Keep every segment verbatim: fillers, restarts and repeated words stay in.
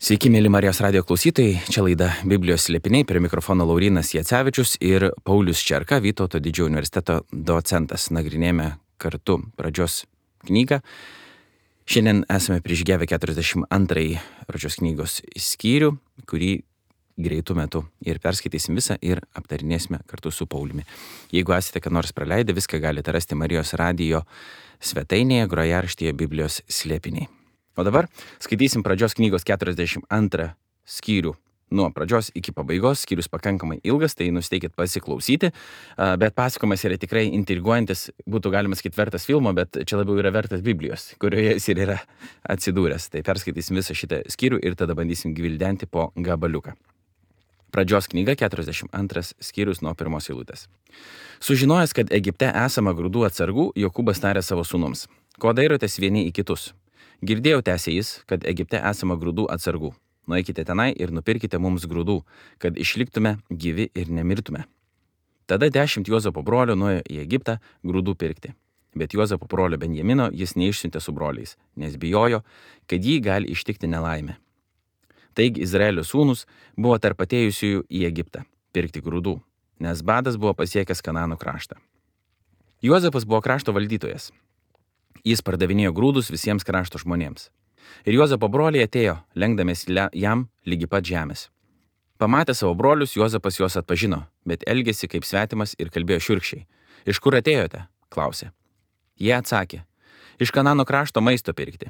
Sveiki, mėly Marijos radijo klausytojai, čia laida Biblijos slėpiniai, prie mikrofono Laurynas Jacevičius ir Paulius Čerka, Vytauto didžiojo universiteto docentas. Nagrinėjame kartu pradžios knygą. Šiandien esame prižygiavę keturiasdešimt antrąjį pradžios knygos skyrių, kurį greitų metų ir perskaitysim visą ir aptarinėsime kartu su Pauliumi. Jeigu esate ką nors praleidę, viską galite rasti Marijos radijo svetainėje, grojaraštyje Biblijos slėpiniai. O dabar skaitysim pradžios knygos keturiasdešimt antrą skyrių nuo pradžios iki pabaigos. Skyrius pakankamai ilgas, tai nusteikit pasiklausyti, bet pasakojimas yra tikrai intriguojantis, būtų galima sakyti vertas filmo, bet čia labiau yra vertas Biblijos, kurioje jis ir yra atsidūręs. Tai perskaitysim visą šitą skyrių ir tada bandysim gvildenti po gabaliuką. Pradžios knyga keturiasdešimt antras skyrius nuo pirmos eilutės. Sužinojęs, kad Egipte esama grūdų atsargų, Jokūbas tarė savo sūnums: ko dairotės vieni į kitus? Girdėjau, tęsė jis, kad Egipte esama grūdų atsargų. Nueikite tenai ir nupirkite mums grūdų, kad išliktume gyvi ir nemirtume. Tada dešimt Juozapo brolių nuėjo į Egiptą grūdų pirkti. Bet Juozapo brolio Benjamino jis neišsiuntė su broliais, nes bijojo, kad jį gali ištikti nelaimė. Taigi Izraelio sūnus buvo tarp atėjusiųjų į Egiptą pirkti grūdų, nes badas buvo pasiekęs Kanano kraštą. Juozapas buvo krašto valdytojas. Jis pardavinėjo grūdus visiems krašto žmonėms. Ir Juozapo broliai atėjo, lenkdamės jam lygi pat žemės. Pamatę savo brolius, Juozapas juos atpažino, bet elgėsi kaip svetimas ir kalbėjo šiurkščiai. Iš kur atėjote? Klausė. Jie atsakė: iš Kanano krašto maisto pirkti.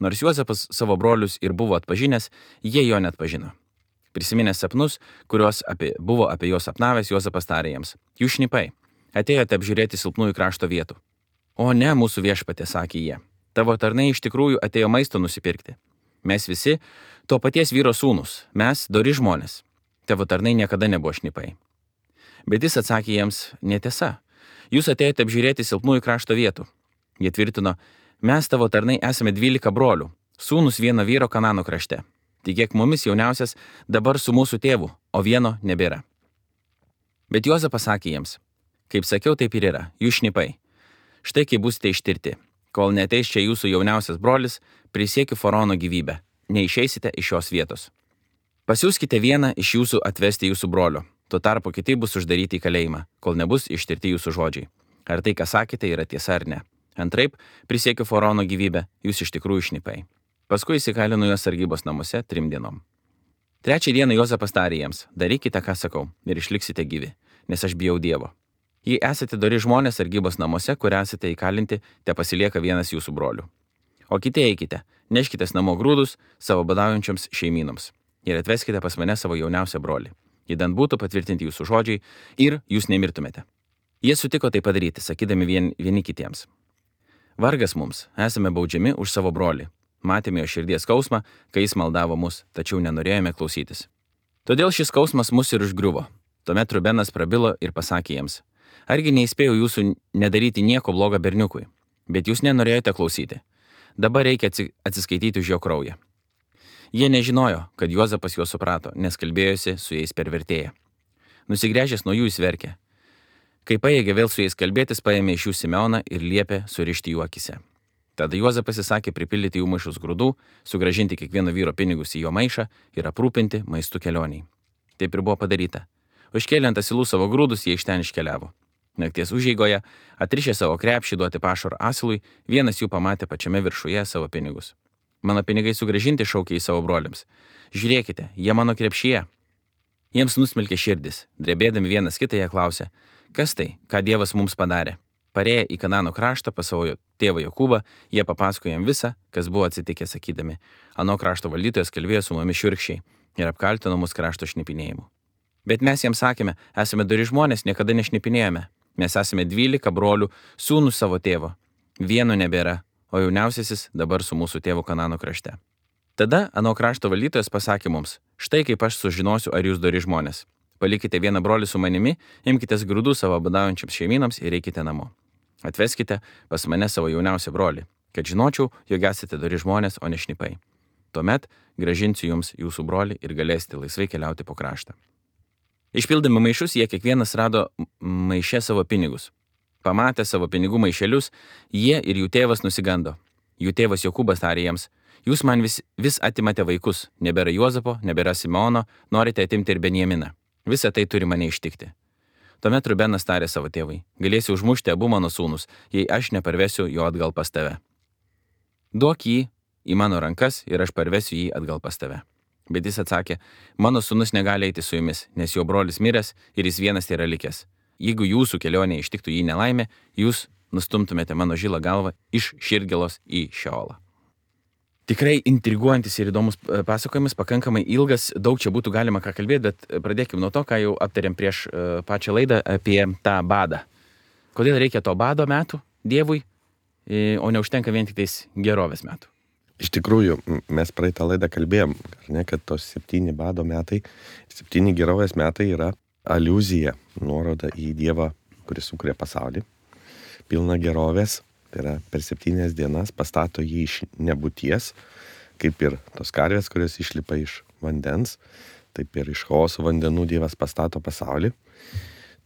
Nors Juozapas savo brolius ir buvo atpažinęs, jie jo neatpažino. Prisiminęs sapnus, kuriuos apie, buvo apie juos sapnavęs, Juozapas tarė jiems: jūs šnipai, atėjote apžiūrėti silpnųjų krašto vietų. O ne, mūsų viešpatė, sakė jie, tavo tarnai iš tikrųjų atėjo maisto nusipirkti. Mes visi to paties vyro sūnus, mes dori žmonės. Tavo tarnai niekada nebuvo šnipai. Bet jis atsakė jiems: netiesa, jūs atėjote apžiūrėti silpnųjų krašto vietų. Jie tvirtino: mes tavo tarnai esame dvylika brolių, sūnus vieno vyro Kanano krašte. Tikėk mumis jauniausias dabar su mūsų tėvu, o vieno nebėra. Bet Juozapas sakė jiems: kaip sakiau, taip ir yra, jūs šnipai. Štai kai būsite ištirti, kol neateis čia jūsų jauniausias brolis, prisiekiu faraono gyvybę, neišeisite iš šios vietos. Pasiųskite vieną iš jūsų atvesti jūsų brolio, tuo tarpu kiti bus uždaryti į kalėjimą, kol nebus ištirti jūsų žodžiai. Ar tai, ką sakėte, yra tiesa ar ne? Antraip, prisiekiu faraono gyvybę, jūs iš tikrųjų šnipai. Paskui įsikalino juos sargybos namuose trim dienom. Trečią dieną Juozapas tarė jiems: darykite, ką sakau, ir išliksite gyvi, nes aš bijau Dievo. Jei esate dori žmonės sargybos namuose, kur esate įkalinti, te pasilieka vienas jūsų brolių. O kiti eikite, neškitės namo grūdus savo badaujančioms šeimynoms ir atveskite pas mane savo jauniausią brolį. Įdant būtų patvirtinti jūsų žodžiai ir jūs nemirtumėte. Jie sutiko tai padaryti, sakydami vien, vieni kitiems: vargas mums, esame baudžiami už savo brolį. Matėme jo širdies skausmą, kai jis maldavo mus, tačiau nenorėjome klausytis. Todėl šis skausmas mus ir užgriuvo. Tuomet Rubenas prabilo ir pasakė jiems: argi neįspėjau jūsų nedaryti nieko blogo berniukui, bet jūs nenorėjote klausyti. Dabar reikia atsiskaityti už jo kraują. Jie nežinojo, kad Juozapas juos suprato, nes kalbėjosi su jais per vertėją. Nusigręžęs nuo jų jis verkė. Kai paėgė vėl su jais kalbėtis, paėmė iš jų Simeoną ir liepė surišti jų akise. Tada Juozapas įsakė pripildyti jų maišus grūdų, sugrąžinti kiekvieno vyro pinigus į jo maišą ir aprūpinti maistu kelioniai. Taip ir buvo padaryta. Užkėlė ant asilų savo grūdus, jie iš ten iškeliavo. Nakties užeigoje, atrišę savo krepšį duoti pašaro asilui, vienas jų pamatė pačiame viršuje savo pinigus. Mano pinigai sugrąžinti, šaukė į savo broliams. Žiūrėkite, jie mano krepšyje. Jiems nusmelkė širdis, drebėdami vienas kitą jie klausė: kas tai, ką Dievas mums padarė? Parėję į Kanano kraštą pas savo tėvą Jokūbą, jie papasakojo jam visą, kas buvo atsitikę, sakydami: ano krašto valdytojas kalbėjo su mumis šiurkščiai ir apkaltino mus krašto šnipinėjimu. Bet mes jiems sakėme: esame dori žmonės, niekada nešnipinėjome. Mes esame dvylika brolių, sūnus savo tėvo. Vieno nebėra, o jauniausiasis dabar su mūsų tėvu Kanano krašte. Tada ano krašto valdytojas pasakė mums: štai kaip aš sužinosiu, ar jūs dori žmonės. Palikite vieną brolį su manimi, imkitės grūdų savo badaujančiams šeimynams ir eikite namo. Atveskite pas mane savo jauniausią brolį, kad žinočiau, jog esate dori žmonės, o ne šnipai. Tuomet grąžinsiu jums jūsų brolį ir galėsite laisvai keliauti po kraštą. Išpildami maišus, jie kiekvienas rado maiše savo pinigus. Pamatę savo pinigų maišelius, jie ir jų tėvas nusigando. Jų tėvas Jokūbas tarė jiems: Jūs man vis, vis atimate vaikus, nebėra Juozapo, nebėra Simeono, norite atimti ir Benjaminą. Visa tai turi mane ištikti. Tuomet Rubenas tarė savo tėvui, galėsi užmušti abu mano sūnus, jei aš neparvesiu jo atgal pas tave. Duok jį į mano rankas ir aš parvesiu jį atgal pas tave. Bet jis atsakė, mano sūnus negali eiti su jumis, nes jo brolis miręs ir jis vienas yra likęs. Jeigu jūsų kelionė ištiktų jį nelaimė, jūs nustumtumėte mano žilą galvą iš Širgelos į Šeolą. Tikrai intriguojantis ir įdomus pasakojimas, pakankamai ilgas, daug čia būtų galima ką kalbėti, bet pradėkime nuo to, ką jau aptarėm prieš pačią laidą apie tą badą. Kodėl reikia to bado metų Dievui, o neužtenka vien tik tais gerovės metų? Iš tikrųjų, mes praeitą laidą kalbėjom, ne, kad tos septyni bado metai, septyni gerovės metai yra aliuzija, nuoroda į Dievą, kuris sukūrė pasaulį, pilna gerovės, tai yra per septynias dienas pastato jį iš nebūties, kaip ir tos karvės, kurios išlipa iš vandens, taip ir iš chaoso vandenų Dievas pastato pasaulį.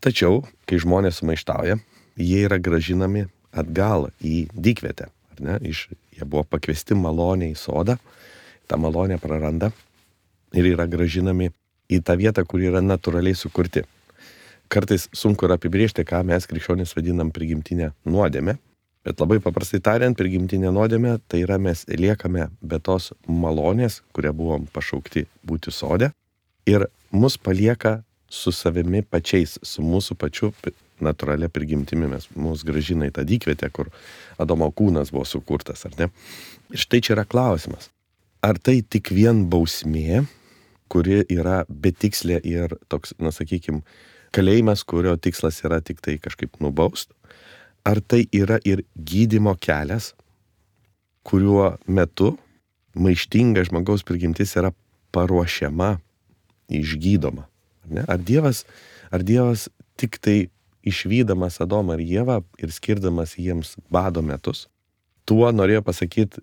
Tačiau, kai žmonės sumaištauja, jie yra gražinami atgal į dykvietę. Ne, iš, jie buvo pakviesti malonę į sodą, tą malonę praranda ir yra gražinami į tą vietą, kur yra natūraliai sukurti. Kartais sunku yra apibrėžti, ką mes krikščionys vadinam prigimtinę nuodėmę, bet labai paprastai tariant, prigimtinė nuodėmė tai yra mes liekame be tos malonės, kurią buvom pašaukti būti sode ir mus palieka su savimi pačiais, su mūsų pačiu natūralia prigimtimi, mes mus gražina į tą dykvietę, kur Adomo kūnas buvo sukurtas, ar ne? Ir štai čia yra klausimas. Ar tai tik vien bausmė, kuri yra betikslė ir toks, na sakykim, kalėjimas, kurio tikslas yra tik tai kažkaip nubaust? Ar tai yra ir gydymo kelias, kuriuo metu maištinga žmogaus prigimtis yra paruošiama, išgydoma? Ar ne? Ar Dievas, ar Dievas tik tai išvydamas Adomą ir Ievą ir skirdamas jiems bado metus, tuo norėjo pasakyti,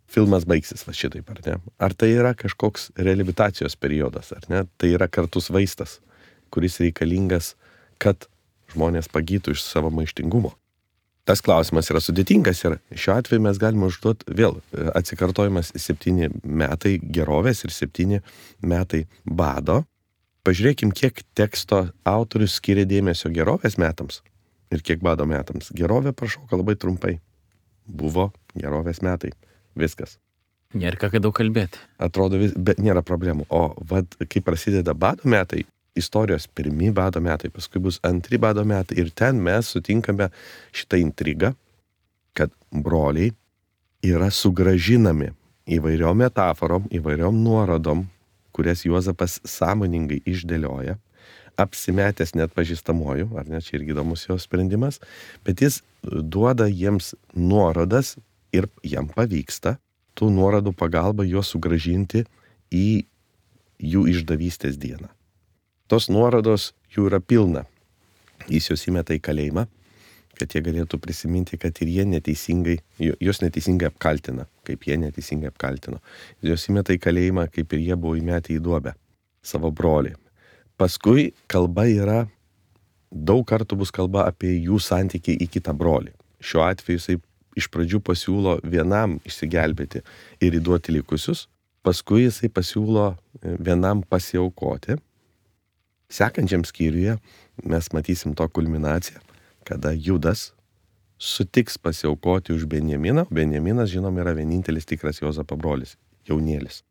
filmas baigsis va šitaip, ar ne? Ar tai yra kažkoks reabilitacijos periodas, ar ne? Tai yra kartus vaistas, kuris reikalingas, kad žmonės pagytų iš savo maištingumo. Tas klausimas yra sudėtingas ir šiuo atveju mes galime užduoti vėl atsikartojimas septyni metai gerovės ir septyni metai bado. Pažiūrėkim, kiek teksto autorius skiria dėmesio gerovės metams ir kiek bado metams. Gerovė prašauka labai trumpai. Buvo gerovės metai. Viskas. Nėra ką daug kalbėti. Atrodo, vis, bet nėra problemų. O vad, kai prasideda bado metai, istorijos pirmi bado metai, paskui bus antri bado metai ir ten mes sutinkame šitą intrigą, kad broliai yra sugrąžinami įvairiom metaforom, įvairiom nuorodom, kurias Juozapas sąmoningai išdėlioja, apsimetęs net pažįstamuoju, ar ne, čia irgi įdomus jo sprendimas, bet jis duoda jiems nuorodas ir jam pavyksta tų nuorodų pagalba juos sugrąžinti į jų išdavystės dieną. Tos nuorodos jų yra pilna. Jis juos įmeta į kalėjimą, kad jie galėtų prisiminti, kad ir jie neteisingai, jos neteisingai apkaltina, kaip jie neteisingai apkaltino. Jos įmeta į kalėjimą, kaip ir jie buvo įmetę į duobę savo brolį. Paskui kalba yra, daug kartų bus kalba apie jų santykį į kitą brolį. Šiuo atveju jisai iš pradžių pasiūlo vienam išsigelbėti ir įduoti likusius, paskui jisai pasiūlo vienam pasiaukoti. Sekančiam skyriuje mes matysim to kulminaciją, kada Judas sutiks pasiaukoti už Benjaminą. Benjaminas, žinom, yra vienintelis tikras Juozapo brolis, jaunėlis.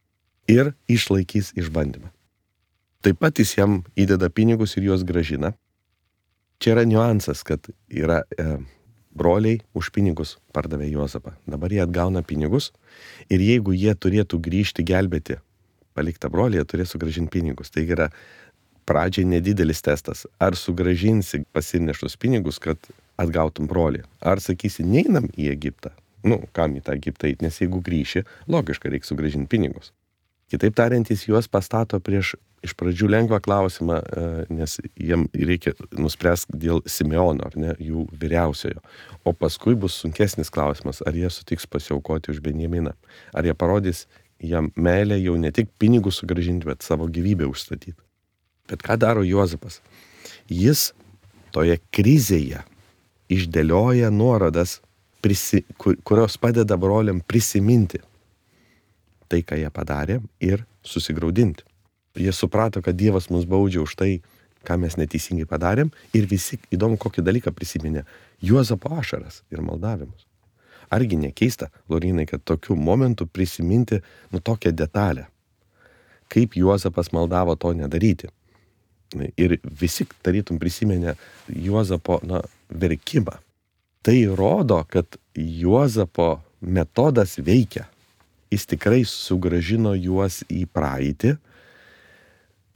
Ir išlaikys išbandymą. Taip pat jis jam įdeda pinigus ir juos gražina. Čia yra niuansas, kad yra e, broliai už pinigus pardavė Juozapą. Dabar jie atgauna pinigus ir jeigu jie turėtų grįžti gelbėti paliktą brolį, jie turės sugrąžinti pinigus. Tai yra pradžiai nedidelis testas. Ar sugrąžinsi pasineštus pinigus, kad atgautum brolį? Ar sakysi, neinam į Egiptą? Nu, kam į tą Egiptą eiti? Nes jeigu grįši, logiška, reikia sugrąžinti pinigus. Kitaip tariant, jis juos pastato prieš iš pradžių lengvą klausimą, nes jiem reikia nuspręsti dėl Simeono, ar ne, jų vyriausiojo. O paskui bus sunkesnis klausimas, ar jie sutiks pasiaukoti už Benjaminą. Ar jie parodys jam meilę jau ne tik pinigus sugrąžinti, bet savo gyvybę užstatyti. Bet ką daro Juozapas? Jis toje krizėje išdėlioja nuorodas, prisi, kur, kurios padeda broliam prisiminti, tai, ką jie padarė, ir susigraudinti. Jie suprato, kad Dievas mus baudžia už tai, ką mes neteisingai padarėm, ir visi įdomu kokį dalyką prisiminė - Juozapo ašaras ir maldavimus. Argi nekeista, Laurynai, kad tokiu momentu prisiminti nu tokią detalę, kaip Juozapas maldavo to nedaryti. Ir visi tarytum prisiminė Juozapo na, verkimą. Tai rodo, kad Juozapo metodas veikia. Jis tikrai sugrąžino juos į praeitį,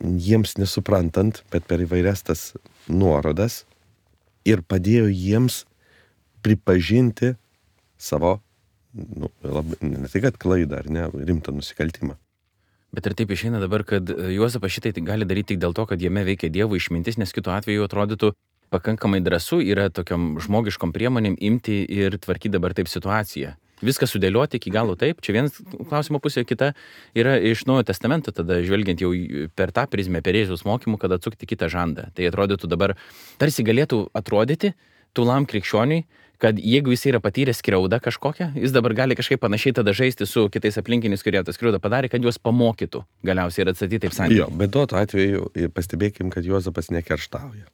jiems nesuprantant, bet per įvairias tas nuorodas, ir padėjo jiems pripažinti savo, nu, labai, ne tai kad klaidą ar ne, rimtą nusikaltimą. Bet ir taip išeina dabar, kad Juozapas šitai gali daryti tik dėl to, kad jame veikia Dievo išmintis, nes kitu atveju atrodytų pakankamai drąsu yra tokiam žmogiškom priemonėm imti ir tvarkyti dabar taip situaciją. Viską sudėlioti iki galo taip, čia vienas klausimo pusė, kita yra iš Naujojo testamento, tada žvelgiant jau per tą prizmę, per Jėzaus mokymų, kad atsukti kitą žandą. Tai atrodytų dabar, tarsi galėtų atrodyti tūlam krikščioniui, kad jeigu jis yra patyręs skriaudą kažkokią, jis dabar gali kažkaip panašiai tada žaisti su kitais aplinkiniais, kurie tą skriaudą padarė, kad juos pamokytų galiausiai ir atstatyti taip santykiai. Jo, bet tuo atveju pastebėkim, kad Juozapas nekerštauja.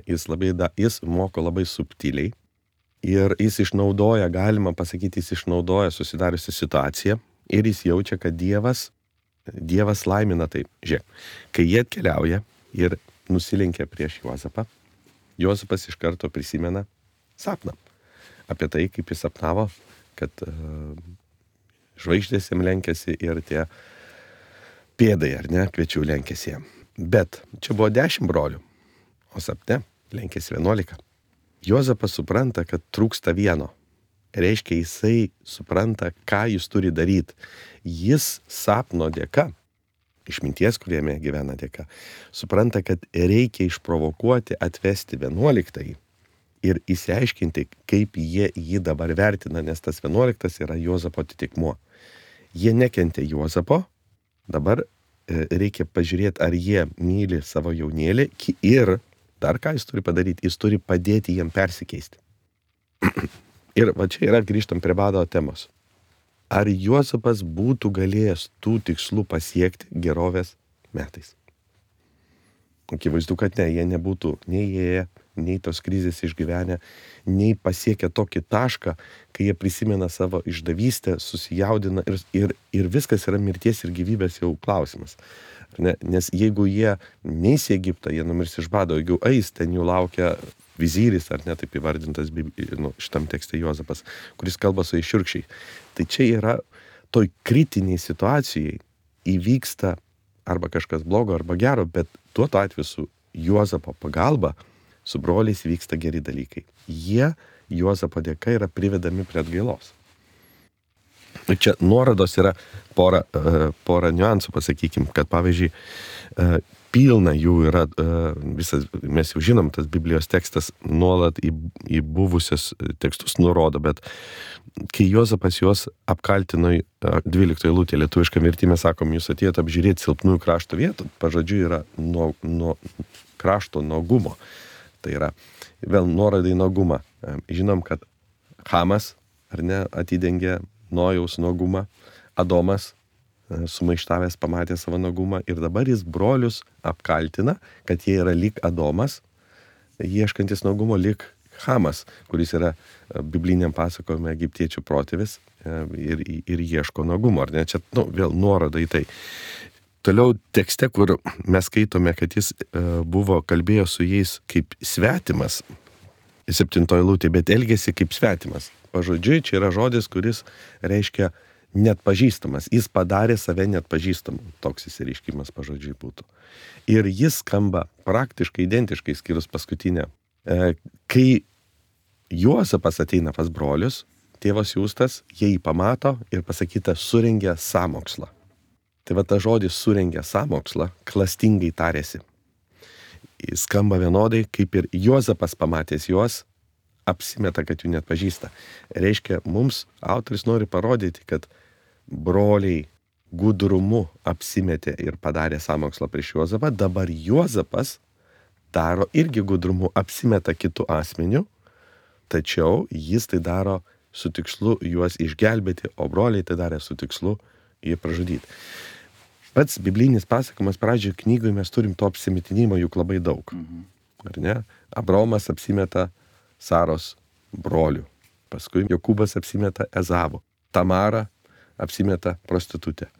Jis, labai da, jis moko labai subtiliai ir jis išnaudoja, galima pasakyti, jis išnaudoja susidariusią situaciją ir jis jaučia, kad Dievas, Dievas laimina taip. Žiūrėk, kai jie atkeliauja ir nusilenkia prieš Juozapą, Juozapas iš karto prisimena sapną. Apie tai, kaip jis sapnavo, kad uh, žvaigždės jam lenkėsi ir tie pėdai, ar ne, kviečių lenkėsi jam. Bet čia buvo dešimt brolių, o sapne lenkėsi vienuolika. Juozapas supranta, kad trūksta vieno. Reiškia, jisai supranta, ką jis turi daryti. Jis sapno dėka, išminties, kuriame gyvena dėka, supranta, kad reikia išprovokuoti, atvesti vienuoliktąjį ir įsiaiškinti, kaip jie jį dabar vertina, nes tas vienuoliktas yra Juozapo atitikmuo. Jie nekentė Juozapo, dabar reikia pažiūrėti, ar jie myli savo jaunėlį ir dar ką jis turi padaryti, jis turi padėti jiem persikeisti. Ir va čia yra, grįžtam prie bado temos. Ar Juozapas būtų galėjęs tų tikslų pasiekti gerovės metais? Akivaizdu, kad ne, jie nebūtų nei jie, nei tos krizės išgyvenę, nei pasiekę tokį tašką, kai jie prisimena savo išdavystę, susijaudina ir, ir, ir viskas yra mirties ir gyvybės jau klausimas. Ne? Nes jeigu jie neis į Egiptą, jie numirs iš bado, jeigu eis, ten jų laukia vizyris, ar ne taip įvardintas nu, šitam tekste Juozapas, kuris kalba su iššiurkščiai. Tai čia yra toj kritiniai situacijai įvyksta arba kažkas blogo, arba gero, bet tuo atveju su Juozapo pagalba, su broliais vyksta geri dalykai. Jie Juozapo dėka yra privedami prie atgailos. Čia nuorodos yra pora, pora niuansų, pasakykim, kad pavyzdžiui, pilna jų yra, visas, mes jau žinom, tas Biblijos tekstas nuolat į, į buvusius tekstus nurodo, bet kai Juozapas juos apkaltino dvyliktoje eilutėje lietuviškam vertime, sakom, jūs atėjote apžiūrėti silpnųjų krašto vietų, pažodžiu yra nuo, nuo krašto nuogumo. Tai yra vėl nuoroda į nuogumą. Žinom, kad Hamas, ar ne, atidengė Nojaus nuogumą, Adomas sumaištavęs pamatė savo nuogumą ir dabar jis brolius apkaltina, kad jie yra lyg Adomas, ieškantis nuogumo, lyg Hamas, kuris yra bibliniam pasakojime egiptiečių protėvis ir, ir ieško nuogumo. Ar ne? Čia nu, vėl nuoroda į tai. Toliau tekste, kur mes skaitome, kad jis buvo kalbėjo su jais kaip svetimas, septintoji eilutė, bet elgėsi kaip svetimas. Pažodžiui, čia yra žodis, kuris reiškia net pažįstamas. Jis padarė save net pažįstamu. Toks įsireiškimas pažodžiui būtų. Ir jis skamba praktiškai identiškai, skyrus paskutinę. Kai Juozapas ateina pas brolius, tėvas siųstas, jie jį pamato ir pasakyta, surengė sąmokslą. Tai va ta žodis surengė sąmokslą, klastingai tarėsi. Jis skamba vienodai, kaip ir Juozapas pamatęs juos, apsimeta, kad jų net pažįsta. Reiškia, mums autoris nori parodyti, kad broliai gudrumu apsimetė ir padarė sąmokslą prieš Juozapą, dabar Juozapas daro irgi gudrumu, apsimeta kitų asmenių, tačiau jis tai daro su tikslu juos išgelbėti, o broliai tai darė su tikslu jie pražudyti. Pats biblinis pasakojimas pradžioje knygoje mes turim to apsimetinimo juk labai daug. Mhm. Ar ne? Abraomas apsimeta Saros broliu. Paskui Jokūbas apsimeta Ezavu. Tamara apsimeta prostitutę.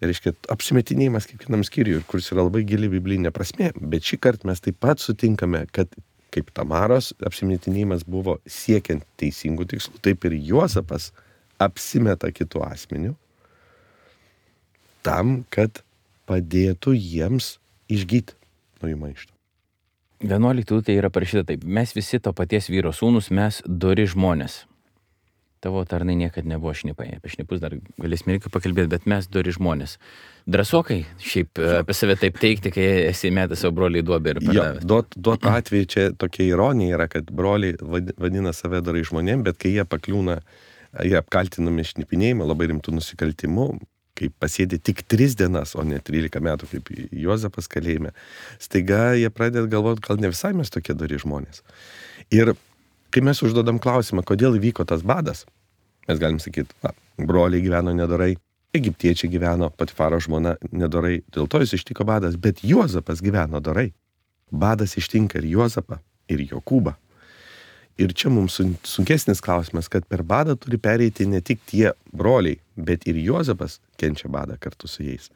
Ir reiškia, apsimetinėjimas kiekvienam skyriui, kuris yra labai gili biblinė prasmė, bet šį kartą mes taip pat sutinkame, kad kaip Tamaros apsimetinėjimas buvo siekiant teisingų tikslų, taip ir Juozapas apsimeta kitų asmenių tam, kad padėtų jiems išgyti nuo jų maišto. vienuoliktoje tai yra parašyta taip. Mes visi to paties vyro sūnus, mes dori žmonės. Tavo tarnai niekad nebuvo šnipai. Apie šnipus dar galėsime irgi pakalbėti, bet mes dori žmonės. Drąsokai šiaip apie save taip teikti, kai esi metęs savo broliai duobę ir pardavęs. Duot, duot atveju čia tokia ironija yra, kad broliai vadina save dorai žmonėm, bet kai jie pakliūna, jie apkaltinami šnipinėjimu, labai rimtų nusikaltimų, kai pasėdė tik tris dienas, o ne trylika metų, kaip Juozapas kalėjime, staiga jie pradeda galvoti, gal ne visai mes tokie dori žmonės. Ir kai mes užduodam klausimą, kodėl įvyko tas badas, mes galim sakyti, va, broliai gyveno nedorai, egiptiečiai gyveno, Patifaro žmona nedorai, dėl to jis ištiko badas, bet Juozapas gyveno dorai. Badas ištinka ir Juozapą, ir Jokūbą. Ir čia mums sunkesnis klausimas, kad per badą turi pereiti ne tik tie broliai, bet ir Juozapas kenčia badą kartu su jais.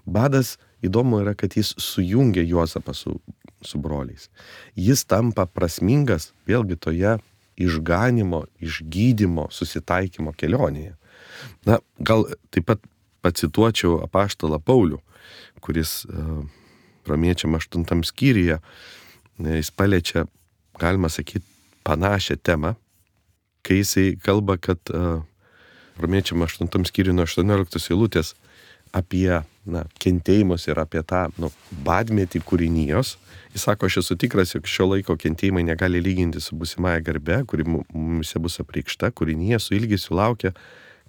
Badas, įdomu yra, kad jis sujungia Juozapą su, su broliais. Jis tampa prasmingas vėlgi toje išganimo, išgydymo, susitaikymo kelionėje. Na, gal taip pat pacituočiau apaštalą Paulių, kuris uh, romiečiam aštuntam skyriuje, jis paliečia, galima sakyti, panašią temą, kai jisai kalba, kad uh, romiečiam aštuntam skyriuje nuo aštuonioliktos eilutės apie na, kentėjimus ir apie tą nu, badmetį kūrinijos. Jis sako, aš esu tikras, jog šio laiko kentėjimai negali lyginti su būsimąja garbe, kuri mumise bus apreikšta, kūrinija su ilgesiu laukia,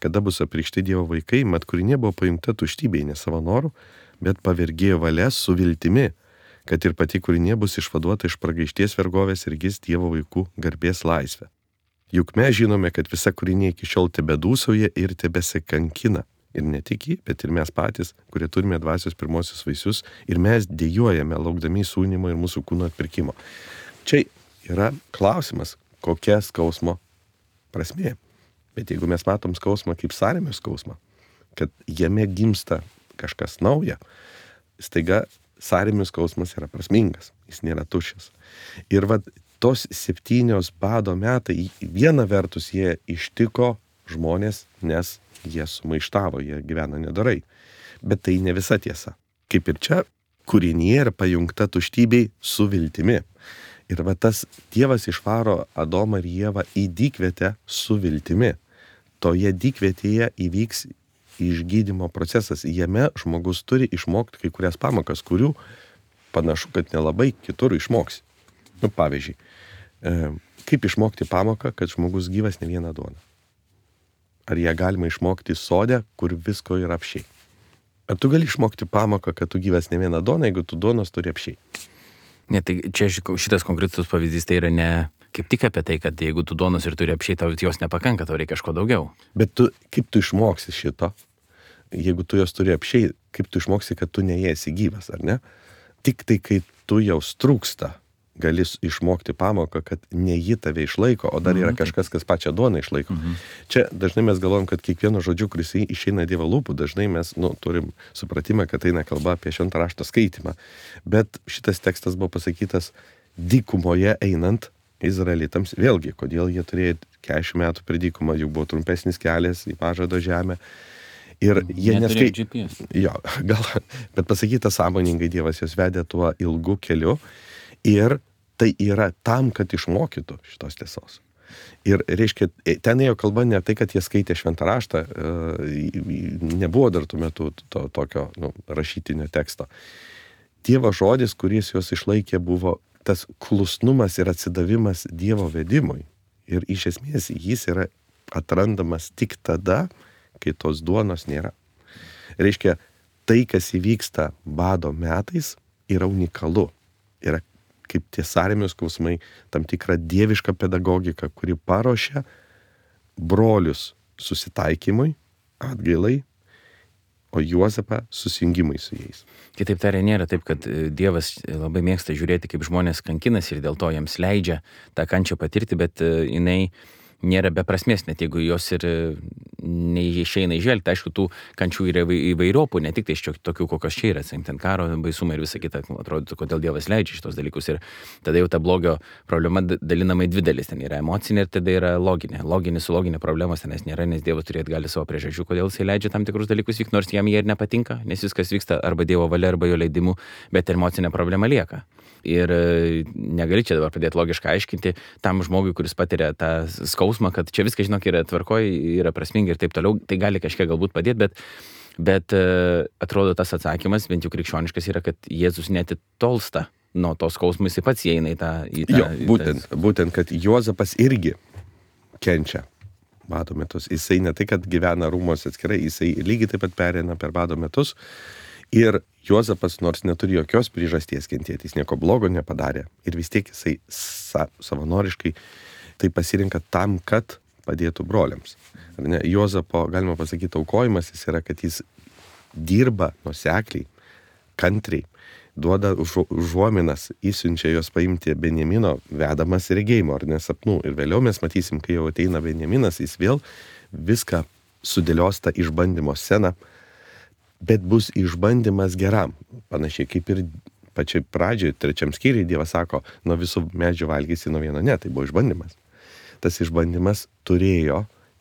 kada bus apreikšti Dievo vaikai, mat kūrinė buvo paimta tuštybei, ne savo norų, bet pavergėjo valia su viltimi, kad ir pati kūrinė bus išvaduota iš pragaišties vergovės ir gis Dievo vaikų garbės laisvę. Juk mes žinome, kad visa kūrinė iki šiol tebedūsauja ir tebesikankina. Ir ne tik jį, bet ir mes patys, kurie turime dvasios pirmosius vaisius, ir mes dėjojame, laukdami sūnimo ir mūsų kūno atpirkimo. Čia yra klausimas, kokia skausmo prasmė. Bet jeigu mes matom skausmą kaip sąrėmio skausmą, kad jame gimsta kažkas nauja, staiga sąrėmio skausmas yra prasmingas, jis nėra tuščias. Ir vat tos septynios bado metai, viena vertus jie ištiko žmonės, nes jie sumaištavo, jie gyvena nedorai. Bet tai ne visa tiesa. Kaip ir čia, kūrinė yra pajungta tuštybei su viltimi. Ir va tas Dievas išvaro Adomą ir Ievą į dykvietę su viltimi. Toje dykvietėje įvyks išgydymo procesas. Jame žmogus turi išmokti kai kurias pamokas, kurių panašu, kad nelabai kitur išmoksi. Nu, pavyzdžiui, kaip išmokti pamoką, kad žmogus gyvas ne vieną duoną? Ar ją galima išmokti sode, kur visko yra apšiai? Ar tu gali išmokti pamoką, kad tu gyvas ne vieną duoną, jeigu tu duonos turi apšiai? Ne, tai čia šitas konkretus pavyzdys tai yra ne kaip tik apie tai, kad jeigu tu duonos ir turi apšiai, tau jos nepakanka, tau reikia kažko daugiau. Bet tu, kaip tu išmoksi šito, jeigu tu jos turi apšiai, kaip tu išmoksi, kad tu neėsi gyvas, ar ne? Tik tai, kai tu jau trūksta, gali išmokti pamoką, kad ne ji tave išlaiko, o dar yra kažkas, kas pačią duoną išlaiko. Mhm. Čia dažnai mes galvojam, kad kiekvieno žodžiu, kuris išeina Dievo lūpų, dažnai mes nu, turim supratimą, kad eina kalba apie šventą rašto skaitymą. Bet šitas tekstas buvo pasakytas dykumoje einant izraelitams. Vėlgi, kodėl jie turėjo keturiasdešimt metų per dykumą, juk buvo trumpesnis kelias į pažado žemę. Ir jie neskai... Jo, gal, bet pasakyta sąmoningai Dievas jos vedė tuo ilgu keliu. Ir tai yra tam, kad išmokytų šitos tiesos. Ir reiškia, ten ėjo kalba ne tai, kad jie skaitė šventą raštą, nebuvo dar tuo metu to, tokio nu, rašytinio teksto. Dievo žodis, kuris juos išlaikė, buvo tas klusnumas ir atsidavimas Dievo vedimui. Ir iš esmės jis yra atrandamas tik tada, kai tos duonos nėra. Reiškia, tai, kas įvyksta bado metais, yra unikalu. Yra kaip tie sąrėmio skausmai, tam tikra dieviška pedagogika, kuri paruošia brolius susitaikymui, atgailai o Juozapą susijungimai su jais. Kitaip tariant, nėra taip, kad Dievas labai mėgsta žiūrėti, kaip žmonės kankinasi ir dėl to jiems leidžia tą kančią patirti, bet jinai nėra beprasmės, net jeigu jos ir neišeina įžvelgti. Aišku, tų kančių yra įvairiopų, ne tik tai iš tokių, kokios čia yra, ten karo baisumai ir visa kita, atrodytų, kodėl Dievas leidžia šitos dalykus. Ir tada jau ta blogio problema dalinama į dvi dalis. Ten yra emocinė ir tada yra loginė. Loginė su loginė problemos tenais nėra, nes Dievas turėt gali savo priežasčių, kodėl jisai leidžia tam tikrus dalykus vykti, nors jam jie ir nepatinka, nes viskas vyksta arba Dievo valia, arba jo leidimu, bet emocinė problema lieka. Ir negali čia dabar pradėti logiškai aiškinti tam žmogui, kuris patiria tą skausmą, kad čia viskas, žinok, yra tvarkoj, yra prasminga ir taip toliau, tai gali kažkiek galbūt padėti, bet, bet atrodo tas atsakymas, bent jau krikščioniškas, yra, kad Jėzus netitolsta nuo tos skausmų, jis pats įeina į tą... Į tą jo, būtent, į tą... būtent, kad Juozapas irgi kenčia bado metus. Jisai ne tai, kad gyvena rūmos atskirai, jisai lygiai taip pat pereina per bado metus. Ir Juozapas, nors neturi jokios priežasties kentėti, jis nieko blogo nepadarė. Ir vis tiek jisai sa, savanoriškai tai pasirinka tam, kad padėtų broliams. Ar ne? Juozapo, galima pasakyti, aukojimas jis yra, kad jis dirba nuosekliai, kantriai, duoda užuominas, įsiunčia jos paimti Benjamino vedamas regėjimo ar nesapnų. Ir vėliau mes matysim, kai jau ateina Benjaminas, jis vėl viską sudėlios tą išbandymo sceną, bet bus išbandymas geram. Panašiai kaip ir pačiai pradžiai, trečiam skyriui Dievas sako, nuo visų medžių valgysi, nuo vieno ne, tai buvo išbandymas. Tas išbandymas turėjo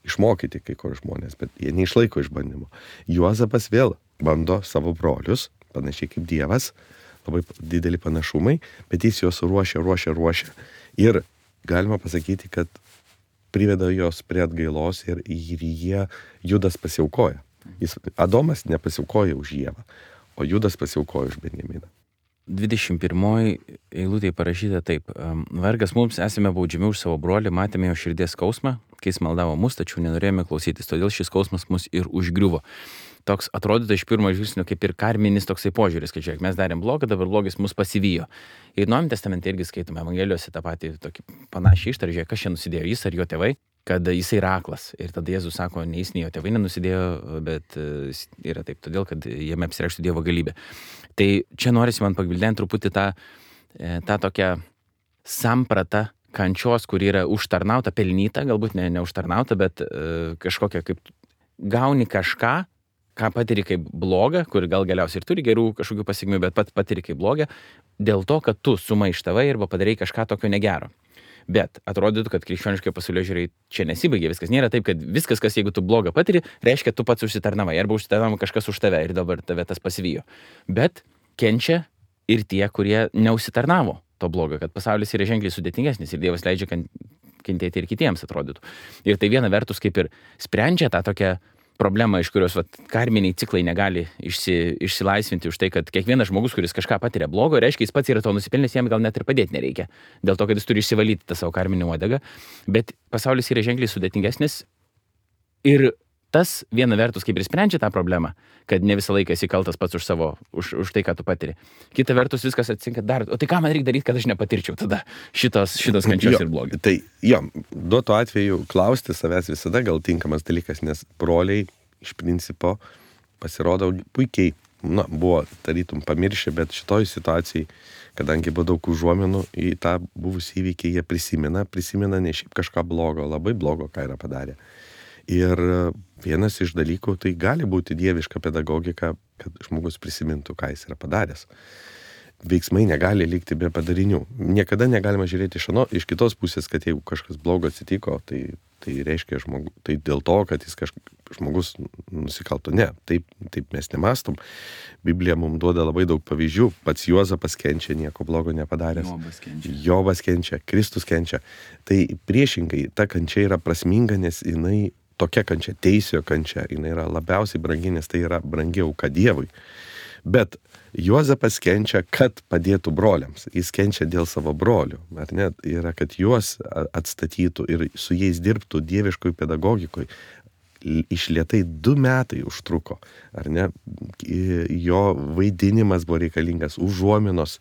išmokyti kai kur žmonės, bet jie neišlaiko išbandymo. Juozapas vėl bando savo brolius, panašiai kaip Dievas, labai dideli panašumai, bet jis juos ruošia, ruošia, ruošia. Ir galima pasakyti, kad priveda jos prie atgailos ir, ir jie Judas pasiaukoja. Jis, Adomas nepasiaukoja už Ievą, o Judas pasiaukoja už Benjaminą. dvidešimt pirmoji eilutėje parašyta taip. Vargas mums, esame baudžiami už savo brolį, matėme jo širdies skausmą, kai jis maldavo mus, tačiau nenorėjome klausytis, todėl šis skausmas mus ir užgriuvo. Toks atrodytų iš pirmo žvilgsnio kaip ir karminis toksai požiūris, kad žiūrėk, mes darėm blogą, dabar blogis mus pasivijo. Ir Naujajame testamente irgi skaitome Evangelijose tą patį tokį panašią ištarą, žiūrėk, kas čia nusidėjo, jis ar jo tėvai, kad jisai yra aklas. Ir tada Jėzus sako, ne jis, nei jo tėvai nenusidėjo, bet yra taip, todėl, kad jame apsireikštų Dievo galybė. Tai čia norisi man pagvildenti truputį tą, tą tokią sampratą kančios, kuri yra užtarnauta, pelnyta, galbūt ne, ne užtarnauta, bet e, kažkokia kaip gauni kažką, ką patiri kaip blogą, kur gal galiausiai ir turi gerų kažkokių pasiekmių, bet pat patiri kaip blogą, dėl to, kad tu sumaištavai arba padarai kažką tokio negero. Bet atrodytų, kad krikščioniškai pasaulėžiūrai čia nesibaigia. Viskas nėra taip, kad viskas, kas jeigu tu blogą patiri, reiškia, tu pats užsitarnavai arba užsitarnavo kažkas už tave ir dabar tave tas pasivijo. Bet kenčia ir tie, kurie neužsitarnavo to blogo, kad pasaulis yra ženkliai sudėtingesnis ir Dievas leidžia kentėti ir kitiems, atrodytų. Ir tai viena vertus kaip ir sprendžia tą tokią problemą, iš kurios vat, karminiai ciklai negali išsi, išsilaisvinti už tai, kad kiekvienas žmogus, kuris kažką patiria blogo, reiškia, jis pats yra to nusipelnęs, jam gal net ir padėti nereikia. Dėl to, kad jis turi išsivalyti tą savo karminį uodegą. Bet pasaulis yra ženkliai sudėtingesnis ir tas viena vertus kaip ir sprendžia tą problemą, kad ne visą laiką esi kaltas pats už savo, už, už tai, ką tu patiri. Kita vertus viskas atsitinka dar, o tai ką man reikia daryti, kad aš nepatirčiau tada šitos, šitos kančios jo, ir blogio. Tai jo, duoto atveju klausti savęs visada gal tinkamas dalykas, nes broliai iš principo pasirodo puikiai, na, buvo tarytum pamiršę, bet šitoj situacijai, kadangi buvo daug užuominų į tą buvusį įvykį, jie prisimena, prisimena ne šiaip kažką blogo, labai blogo, ką yra padarę. Ir vienas iš dalykų, tai gali būti dieviška pedagogika, kad žmogus prisimintų, ką jis yra padaręs. Veiksmai negali likti be padarinių. Niekada negalima žiūrėti iš, ano, iš kitos pusės, kad jeigu kažkas blogo atsitiko, tai, tai reiškia žmogus, tai dėl to, kad jis kažkas, žmogus nusikalto. Ne, taip, taip mes nemastom. Biblija mums duoda labai daug pavyzdžių. Pats Juozapas kenčia, nieko blogo nepadaręs. Jobas kenčia. Jobas kenčia, Kristus kenčia. Tai priešingai, ta kančia yra prasminga, nes jinai tokia kančia, teisėjo kančia, jinai yra labiausiai brangi, nes tai yra brangi auka Dievui. Bet Juozapas kenčia, kad padėtų broliams. Jis kenčia dėl savo brolių. Ar ne? Yra, kad juos atstatytų ir su jais dirbtų dieviškoj pedagogikoj. Išlietai du metai užtruko. Ar ne? Jo vaidinimas buvo reikalingas, užuominos,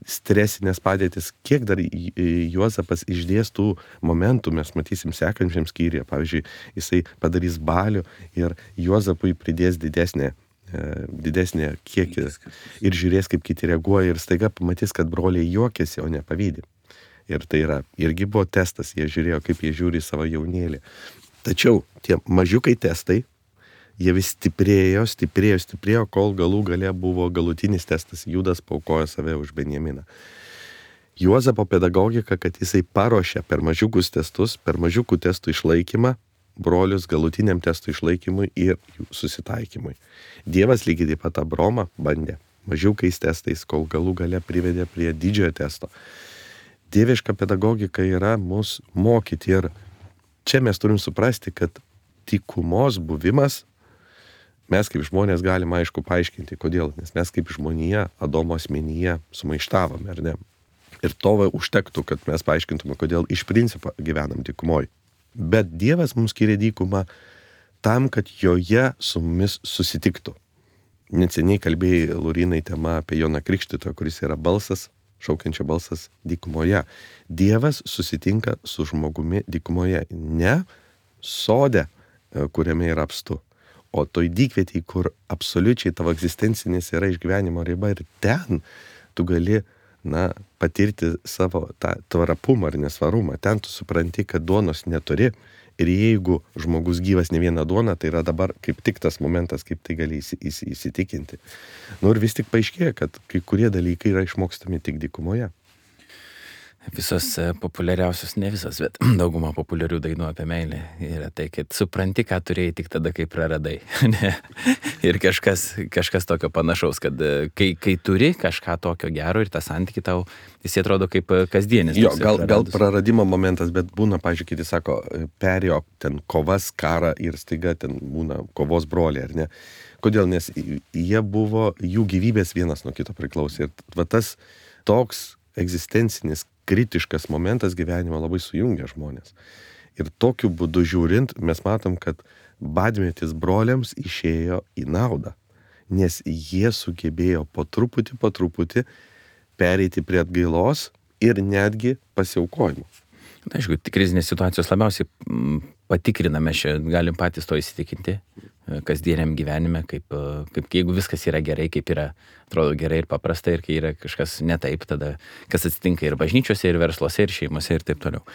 stresinės padėtis. Kiek dar Juozapas išdėstų momentų, mes matysim sekančiam skyriuje. Pavyzdžiui, jisai padarys balių ir Juozapui pridės didesnę didesnį kiekį ir žiūrės, kaip kiti reaguoja ir staiga pamatys, kad broliai juokiasi, o ne pavydi. Ir tai yra, irgi buvo testas, jie žiūrėjo, kaip jie žiūri savo jaunėlį. Tačiau tie mažiukai testai, jie vis stiprėjo, stiprėjo, stiprėjo, kol galų gale buvo galutinis testas, Judas paaukojo save už Benjaminą. Juozapo pedagogika, kad jisai paruošė per mažiukus testus, per mažiukų testų išlaikymą, brolius galutiniam testų išlaikymui ir jų susitaikymui. Dievas lygiai taip pat Abromą bandė mažiukais testais, kol galų gale privedė prie didžiojo testo. Dieviška pedagogika yra mus mokyti ir čia mes turim suprasti, kad dykumos buvimas, mes kaip žmonės galime aišku paaiškinti, kodėl, nes mes kaip žmonija, Adomo asmenyje sumaištavome, ar ne? Ir to užtektų, kad mes paaiškintume, kodėl iš principo gyvenam dykumoje. Bet Dievas mums skiria dykumą tam, kad joje su mumis susitiktų. Neseniai kalbėjai, Laurinai, tema apie Joną Krikštytoją, kuris yra balsas, šaukiančio balsas dykumoje. Dievas susitinka su žmogumi dykumoje, ne sode, kuriame yra apstu, o toj dykvietėj, kur absoliučiai tavo egzistencinis yra išgyvenimo riba ir ten tu gali na, patirti savo tą tvarapumą ar nesvarumą. Ten tu supranti, kad duonos neturi ir jeigu žmogus gyvas ne vieną duoną, tai yra dabar kaip tik tas momentas, kaip tai gali įsitikinti. Nu ir vis tik paaiškėja, kad kai kurie dalykai yra išmokstami tik dykumoje. Visos populiariausios, ne visos, bet dauguma populiarių dainų apie meilę yra tai, kad supranti, ką turėjai tik tada, kai praradai. Ir kažkas, kažkas tokio panašaus, kad kai, kai turi kažką tokio gero ir tą santykį tau, jis atrodo kaip kasdienis. Jo, gal, gal praradimo momentas, bet būna, pavyzdžiui, kiti sako, perėjo ten kovas, karą ir staiga ten būna kovos broliai, ar ne? Kodėl? Nes jie buvo, jų gyvybės vienas nuo kito priklausė. Ir va tas toks egzistencinis kritiškas momentas gyvenimo labai sujungia žmonės. Ir tokiu būdu žiūrint, mes matom, kad badmetis broliams išėjo į naudą, nes jie sugebėjo po truputį, po truputį pereiti prie atgailos ir netgi pasiaukojimo. Na, aišku, krizinės situacijos labiausiai patikriname, čia galim patys to įsitikinti kasdieniam gyvenime, kaip, kaip jeigu viskas yra gerai, kaip yra, atrodo gerai ir paprasta, ir kai yra kažkas ne taip, tada kas atsitinka ir bažnyčiose, ir versluose, ir šeimose, ir taip toliau.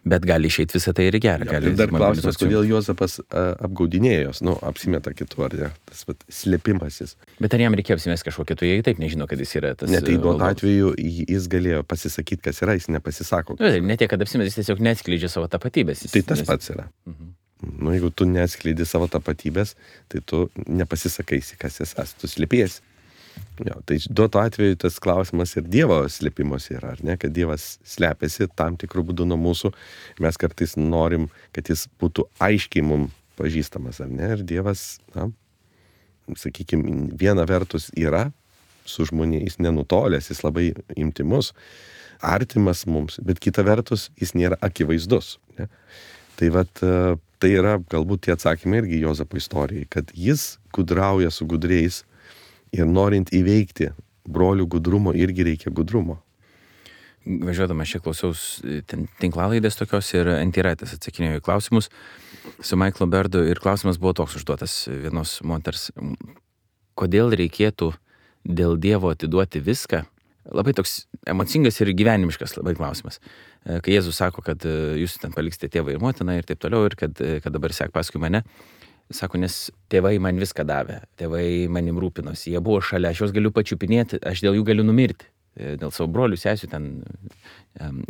Bet gali išeiti visą tai ir gerą. Ja, ir dar klausimas, kodėl Juozapas apgaudinėjo jos, nu, apsimeta kitu, ar ne, tas vat, slėpimasis. Bet ar jam reikėjo apsimesti kažko kitu, jei taip nežino, kad jis yra tas... Ne, tai duot atveju jis galėjo pasisakyti, kas yra, jis nepasisako. Ne, ne tiek, kad apsimeti, jis tiesiog neatskleidžia savo tapatybės. Jis, tai tas nes... pats yra. Mhm. Nu, jeigu tu neatskleidi savo tapatybės, tai tu nepasisakaisi, kas esi, tu slėpiesi. Jo, tai duoto atveju tas klausimas ir Dievo slėpimos yra, ar ne, kad Dievas slepiasi tam tikrų būdų nuo mūsų. Mes kartais norim, kad jis būtų aiškiai mums pažįstamas, ar ne, ir Dievas, na, sakykime, viena vertus yra su žmonės nenutolęs, jis labai intymus, artimas mums, bet kita vertus jis nėra akivaizdus. Ne? Tai vat, tai yra galbūt tie atsakymai irgi Juozapo istorijai, kad jis gudrauja su gudriais ir norint įveikti brolių gudrumo irgi reikia gudrumo. Važiuodama čia klausiaus tinklalaidės tokios ir Antiraitas atsakinėjo į klausimus su Michaelu Berdu ir klausimas buvo toks užduotas vienos moters, kodėl reikėtų dėl Dievo atiduoti viską? Labai toks emocingas ir gyvenimiškas labai klausimas. Kai Jėzus sako, kad jūs ten paliksite tėvą ir motiną ir taip toliau, ir kad, kad dabar sek paskui mane, sako, nes tėvai man viską davė, tėvai manim rūpinosi, jie buvo šalia, aš juos galiu pačiupinėti, aš dėl jų galiu numirti, dėl savo brolių, sesių ten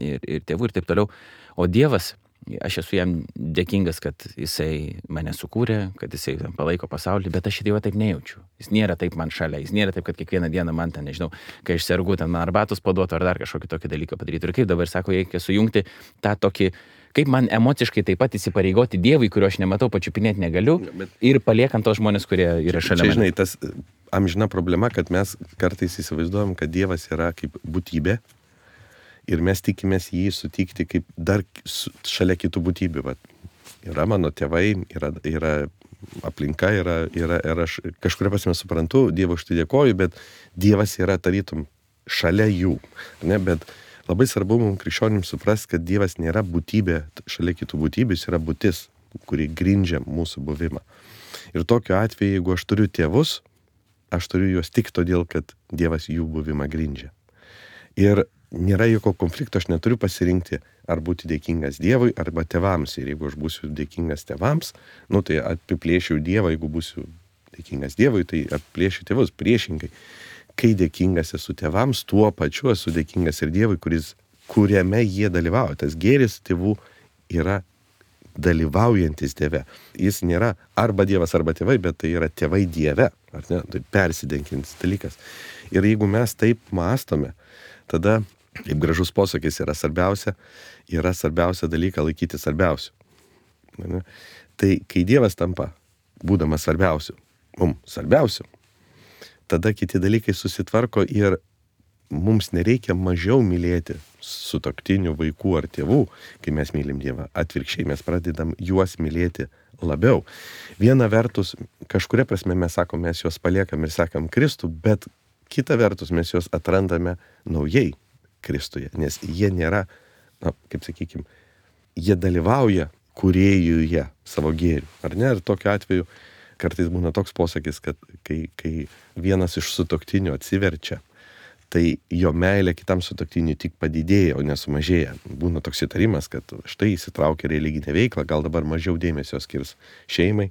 ir, ir tėvų ir taip toliau. O Dievas, aš esu jam dėkingas, kad jisai mane sukūrė, kad jisai palaiko pasaulį, bet aš Dievo taip nejaučiu. Jis nėra taip man šalia, jis nėra taip, kad kiekvieną dieną man ten, nežinau, kai aš sergu, ten man arbatos paduotų ar dar kažkokį tokį dalyką padaryti. Ir kaip dabar sako, reikia sujungti tą tokį, kaip man emociškai taip pat įsipareigoti Dievui, kurio aš nematau, pačiupinėti negaliu, ir paliekant tos žmonės, kurie yra šalia. Čia, žinai, tas amžina problema, kad mes kartais įsivaizduojam, kad Dievas yra kaip būtybė. Ir mes tikimės jį sutikti kaip dar šalia kitų būtybių. Vat, yra mano tėvai, yra, yra aplinka, yra, yra, ir aš kažkuria prasme suprantu, Dievo už tai dėkoju, bet Dievas yra tarytum šalia jų. Ne? Bet labai svarbu mums krikščionims suprasti, kad Dievas nėra būtybė šalia kitų būtybių, jis yra būtis, kuri grindžia mūsų buvimą. Ir tokiu atveju, jeigu aš turiu tėvus, aš turiu juos tik todėl, kad Dievas jų buvimą grindžia. Ir nėra jokio konflikto, aš neturiu pasirinkti, ar būti dėkingas Dievui arba tėvams. Ir jeigu aš būsiu dėkingas tėvams, nu tai apiplėšiu Dievą, jeigu būsiu dėkingas Dievui, tai apiplėšiu tėvus priešingai. Kai dėkingas esu tėvams, tuo pačiu esu dėkingas ir Dievui, kuris, kuriame jie dalyvauja. Tas gėris tėvų yra dalyvaujantis Dieve. Jis nėra arba Dievas, arba tėvai, bet tai yra tėvai Dieve. Ar ne? Tai persidenkintis dalykas. Ir jeigu mes taip mąstome, tada, kaip gražus posakis, yra svarbiausia, yra svarbiausia dalyką laikyti svarbiausiu. Ne? Tai kai Dievas tampa, būdamas svarbiausiu, mums svarbiausiu, tada kiti dalykai susitvarko ir mums nereikia mažiau mylėti sutuoktinių, vaikų ar tėvų, kai mes mylim Dievą. Atvirkščiai mes pradedam juos mylėti labiau. Viena vertus, kažkuria prasme mes sakom, mes juos paliekam ir sekam Kristų, bet kita vertus mes juos atrandame naujai Kristuje, nes jie nėra, na, kaip sakykim, jie dalyvauja kūrėjuje savo gėrių, ar ne? Ir tokiu atveju kartais būna toks posakis, kad kai, kai vienas iš sutuoktinių atsiverčia, tai jo meilė kitam sutuoktiniui tik padidėja, o nesumažėja. Būna toks įtarimas, kad štai įsitraukia religinę veiklą, gal dabar mažiau dėmesio skirs šeimai.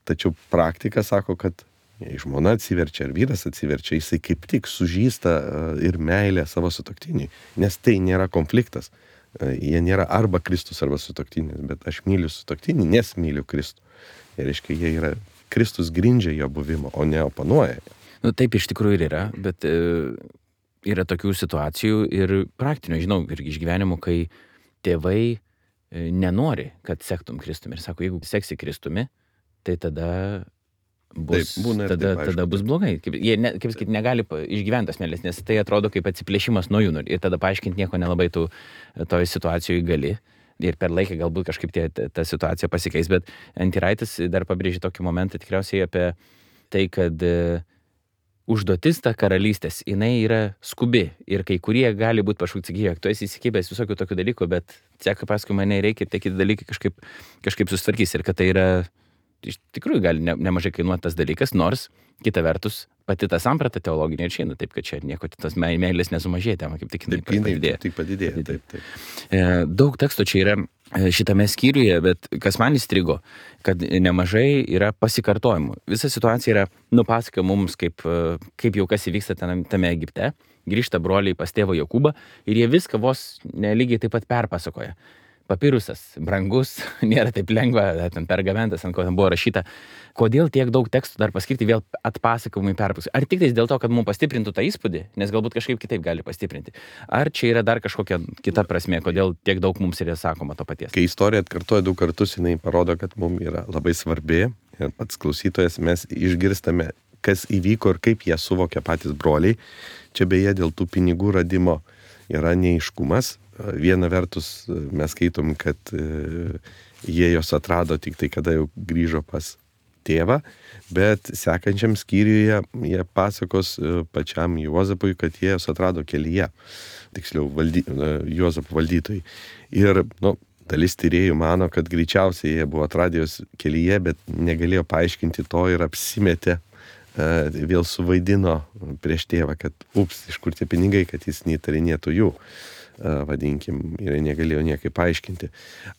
Tačiau praktika sako, kad jei žmona atsiverčia ar vyras atsiverčia, jisai kaip tik sužįsta ir meilę savo sutuoktiniui, nes tai nėra konfliktas. Jie nėra arba Kristus, arba sutuoktinis, bet aš myliu sutuoktinį, nes myliu Kristų. Ir reiškia, jie yra, Kristus grindžia jo buvimą, o ne oponuoja. Nu, taip iš tikrųjų ir yra, bet e, yra tokių situacijų ir praktinių, žinau, ir iš gyvenimų, kai tėvai e, nenori, kad sektum Kristumi. Ir sako, jeigu seksi Kristumi, tai tada bus, taip, būna ir tada, taip, tada bus blogai. Kaip, jie, ne, kaip sakyti, negali išgyventi tos meilės, nes tai atrodo kaip atsiplėšimas nuo jų. Ir tada paaiškinti nieko nelabai tu toj situacijoje gali. Ir per laiką galbūt kažkaip tie, ta situacija pasikeis, bet Antiraitis dar pabrėžė tokį momentą tikriausiai apie tai, kad e, užduotis ta karalystės, jinai yra skubi ir kai kurie gali būti pašaukti, sakyk, tu esi įsikibęs visokių tokių dalykų, bet seka paskui mane reikia ir tie kiti dalykai kažkaip, kažkaip susitvarkys ir kad tai yra, iš tikrųjų gali ne, nemažai kainuoti tas dalykas, nors kita vertus pati ta samprata teologinė ir išeina, taip kad čia nieko tos meilės nesumažėja, tema kaip tik taip, padidėja. Taip, padidėja, padidėja. Taip, taip. E, daug teksto čia yra šitame skyriuje, bet kas man įstrigo, kad nemažai yra pasikartojimų. Visa situacija yra nupasaka mums, kaip, kaip jau kas įvyksta tame, tame Egipte, grįžta broliai pas tėvą Jokūbą ir jie viską vos nelygiai taip pat perpasakoja. Papirusas, brangus, nėra taip lengva, ten pergamentas, ant ko ten buvo rašyta. Kodėl tiek daug tekstų dar paskirti vėl atpasakojimui perpasakoti? Ar tik tais dėl to, kad mums pastiprintų tą įspūdį, nes galbūt kažkaip kitaip gali pastiprinti? Ar čia yra dar kažkokia kita prasmė, kodėl tiek daug mums yra sakoma to paties? Kai istorija atkartoja du kartus, jinai parodo, kad mums yra labai svarbi ir pats klausytojas mes išgirstame, kas įvyko ir kaip jie suvokia patys broliai. Čia beje dėl tų pinigų radimo yra neaiškumas. Viena vertus mes skaitom, kad jie jos atrado tik tai, kada jau grįžo pas tėvą, bet sekančiam skyriuje jie pasakos pačiam Juozapui, kad jie jos atrado kelyje, tiksliau valdy, Juozapo valdytojai. Ir nu, dalis tyrėjų mano, kad greičiausiai jie buvo atradę jos kelyje, bet negalėjo paaiškinti to ir apsimetė, vėl suvaidino prieš tėvą, kad ups, iš kur tie pinigai, kad jis neįtarinėtų jų. Vadinkim, ir negalėjo niekaip paaiškinti.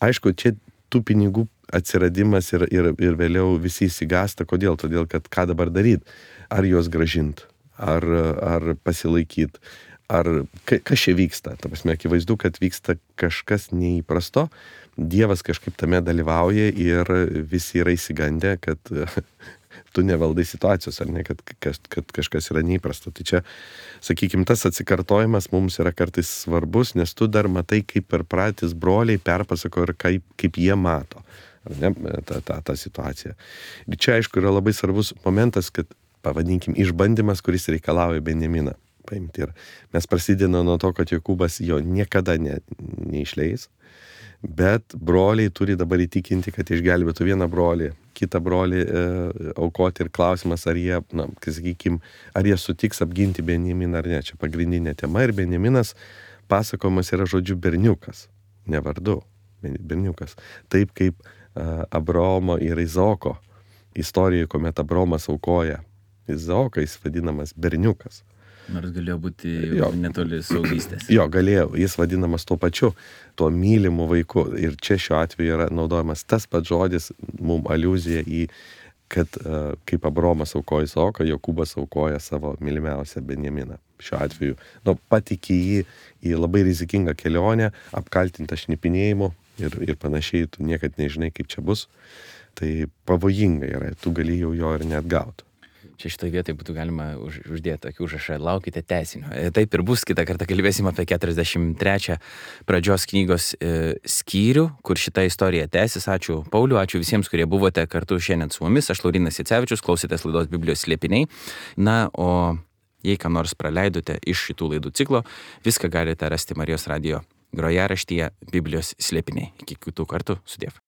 Aišku, čia tų pinigų atsiradimas ir, ir, ir vėliau visi įsigasta. Kodėl? Todėl, kad ką dabar daryti? Ar juos gražinti? Ar, ar pasilaikyti? Ar ka, kas čia vyksta? Ta prasme, akivaizdu, kad vyksta kažkas neįprasto. Dievas kažkaip tame dalyvauja ir visi yra įsigandę, kad tu nevaldai situacijos, ar ne, kad, kad, kad kažkas yra neįprasta. Tai čia, sakykime, tas atsikartojimas mums yra kartais svarbus, nes tu dar matai, kaip per pratis broliai perpasako ir kaip, kaip jie mato, ar ne, tą, tą, tą situaciją. Ir čia, aišku, yra labai svarbus momentas, kad, pavadinkim, išbandymas, kuris reikalauja Benjaminą paimti. Ir mes prasidėjome nuo to, kad Jokūbas jo niekada ne, neišleis, bet broliai turi dabar įtikinti, kad išgelbėtų vieną brolį, kitą brolį e, aukoti ir klausimas, ar jie, na, sakykim, ar jie sutiks apginti Benjaminą ar ne. Čia pagrindinė tema ir Benjaminas pasakojimas yra žodžiu berniukas, ne vardu, berniukas. Taip kaip e, Abraomo ir Izaoko istorijoje, kuomet Abraomas aukoja Izaoką jis vadinamas berniukas. Nors galėjo būti Jo. netoli suaugystės. Jo, galėjo, jis vadinamas tuo pačiu, tuo mylimu vaiku. Ir čia šiuo atveju yra naudojamas tas pats žodis, mum aliuzija į, kad uh, kaip Abromas aukoja Izaoką, Jokūbas aukoja savo mylimiausią Benjaminą. Šiuo atveju, nu, patikė jį į labai rizikingą kelionę, apkaltintą šnipinėjimu ir, ir panašiai, tu niekad nežinai, kaip čia bus. Tai pavojinga yra, tu gali jau jo ir neatgauti. Čia šitoje vietoje būtų galima už, uždėti tokį užrašą, laukite tęsinio. E, Taip ir bus, kitą kartą kalbėsim apie keturiasdešimt trečią pradžios knygos e, skyrių, kur šita istorija tęsis. Ačiū Pauliu, ačiū visiems, kurie buvote kartu šiandien su mumis. Aš Laurynas Jacevičius, klausėtės laidos Biblijos slėpiniai. Na, o jei ką nors praleidote iš šitų laidų ciklo, viską galite rasti Marijos radijo grojaraštyje Biblijos slėpiniai. Iki kitų kartų, sudiev.